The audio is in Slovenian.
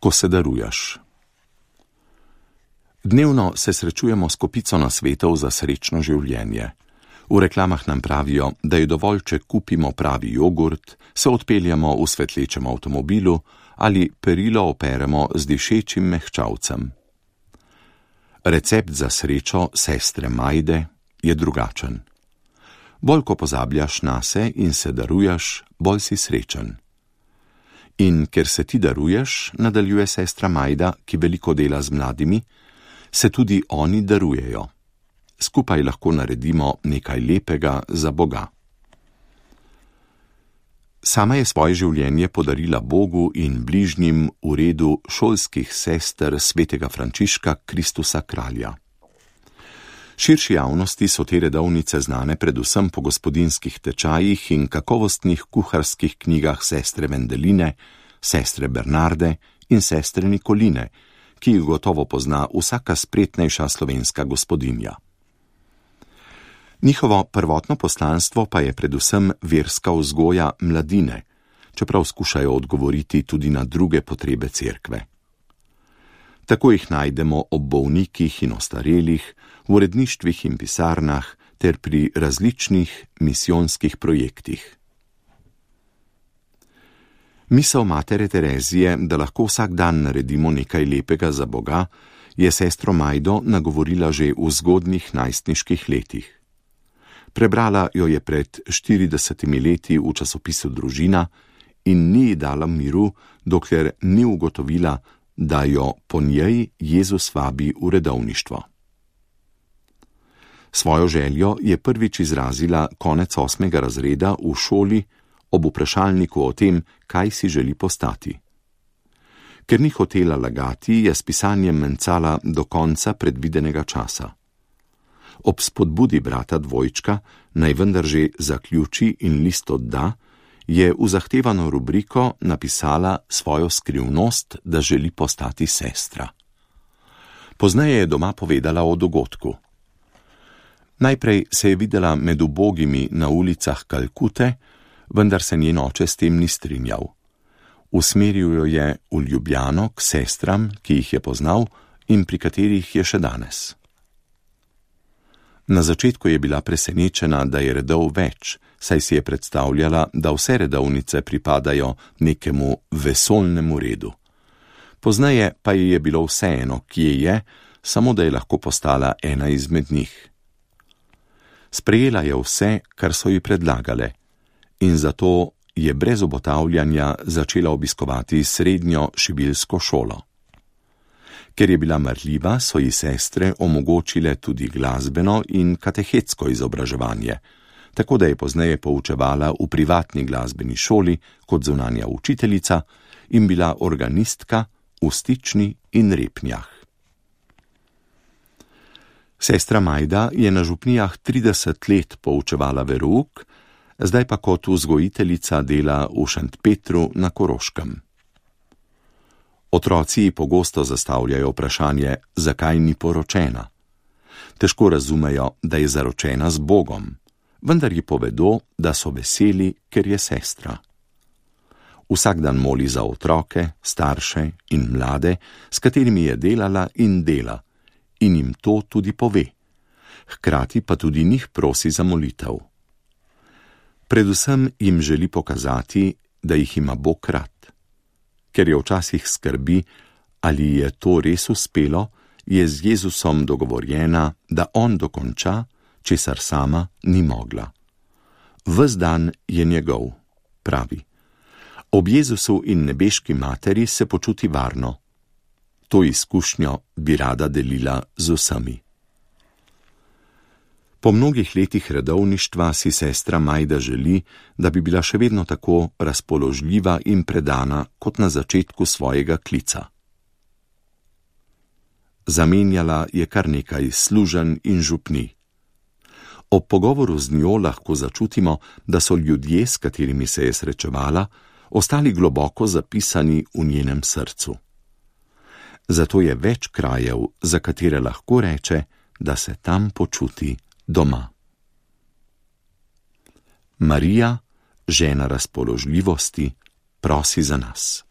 ko se daruješ. Dnevno se srečujemo s kopico nasvetov za srečno življenje. V reklamah nam pravijo, da je dovolj, če kupimo pravi jogurt, se odpeljamo v svetlečem avtomobilu ali perilo operemo z dišečim mehčavcem. Recept za srečo sestre Majde je drugačen. Bolj ko pozabljaš nase in se daruješ, bolj si srečen. In ker se ti daruješ, nadaljuje sestra Majda, ki veliko dela z mladimi, se tudi oni darujejo. Skupaj lahko naredimo nekaj lepega za Boga. Sama je svoje življenje podarila Bogu in bližnjim v redu šolskih sester svetega Frančiška Kristusa Kralja. Širši javnosti so te redovnice znane predvsem po gospodinjskih tečajih in kakovostnih kuharskih knjigah sestre Vendeline, sestre Bernarde in sestre Nikoline, ki jih gotovo pozna vsaka spretnejša slovenska gospodinja. Njihovo prvotno poslanstvo pa je predvsem verska vzgoja mladine, čeprav skušajo odgovoriti tudi na druge potrebe cerkve. Tako jih najdemo ob bolnikih in ostarelih, v uredništvih in pisarnah ter pri različnih misijonskih projektih. Misel matere Terezije, da lahko vsak dan naredimo nekaj lepega za Boga, je sestro Majdo nagovorila že v zgodnjih najstniških letih. Prebrala jo je pred 40 leti v časopisu Družina in ni ji dala miru, dokler ni ugotovila, da jo po njej Jezus vabi v redovništvo. Svojo željo je prvič izrazila konec 8. razreda v šoli ob vprašalniku o tem, kaj si želi postati. Ker ni hotela lagati, je s pisanjem mencala do konca predvidenega časa. Ob spodbudi brata dvojčka, naj vendar že zaključi in list odda, je v zahtevano rubriko napisala svojo skrivnost, da želi postati sestra. Pozneje je doma povedala o dogodku. Najprej se je videla med ubogimi na ulicah Kalkute, vendar se njen oče s tem ni strinjal. Usmeril jo je v Ljubljano k sestram, ki jih je poznal in pri katerih je še danes. Na začetku je bila presenečena, da je redov več, saj si je predstavljala, da vse redovnice pripadajo nekemu vesoljnemu redu. Pozneje pa ji je bilo vseeno, kje je, samo da je lahko postala ena izmed njih. Sprejela je vse, kar so ji predlagale, in zato je brez obotavljanja začela obiskovati srednjo šibilsko šolo. Ker je bila marljiva, so ji sestre omogočile tudi glasbeno in katehetsko izobraževanje, tako da je pozneje poučevala v privatni glasbeni šoli kot zunanja učiteljica in bila organistka v Stični in Repnjah. Sestra Majda je na župnijah 30 let poučevala verouk, zdaj pa kot vzgojiteljica dela v Šentpetru na Koroškem. Otroci pogosto zastavljajo vprašanje, zakaj ni poročena. Težko razumejo, da je zaročena z Bogom, vendar ji povedo, da so veseli, ker je sestra. Vsak dan moli za otroke, starše in mlade, s katerimi je delala in dela, in jim to tudi pove. Hkrati pa tudi njih prosi za molitev. Predvsem jim želi pokazati, da jih ima Bog rad. Ker je včasih skrbi, ali je to res uspelo, je z Jezusom dogovorjena, da on dokonča, česar sama ni mogla. Ves dan je njegov, pravi. Ob Jezusu in nebeški materi se počuti varno. To izkušnjo bi rada delila z vsemi. Po mnogih letih redovništva si sestra Majda želi, da bi bila še vedno tako razpoložljiva in predana kot na začetku svojega klica. Zamenjala je kar nekaj služenj in župnij. Ob pogovoru z njo lahko začutimo, da so ljudje, s katerimi se je srečevala, ostali globoko zapisani v njenem srcu. Zato je več krajev, za katere lahko reče, da se tam počuti doma. Marija, žena razpoložljivosti, prosi za nas.